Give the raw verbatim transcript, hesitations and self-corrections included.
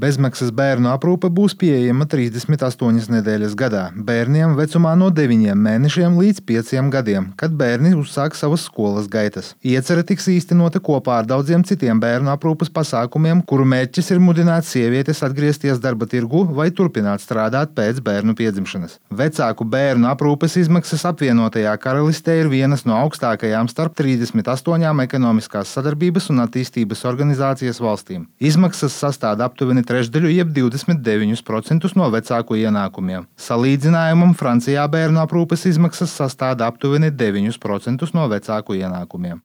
Bezmaksas bērnu aprūpe būs pieejama trīsdesmit astoņas nedēļas gadā bērniem vecumā no deviņiem mēnešiem līdz pieciem gadiem, kad bērni uzsāk savas skolas gaitas. Iecere tiks īstenota kopā ar daudziem citiem bērnu aprūpes pasākumiem, kuru mērķis ir mudināt sievietes atgriezties darba tirgu vai turpināt strādāt pēc bērnu piedzimšanas. Vecāku bērnu aprūpes izmaksas apvienotajā karalistē ir vienas no augstākajām starp trīsdesmit astoņām ekonomiskās sadarbības un attīstības organizācijas valstīm. Izmaksas sastāda aptuveni trešdaļu jeb divdesmit deviņus procentus no vecāku ienākumiem. Salīdzinājumam Francijā bērnu aprūpes izmaksas sastāda aptuveni deviņus procentus no vecāku ienākumiem.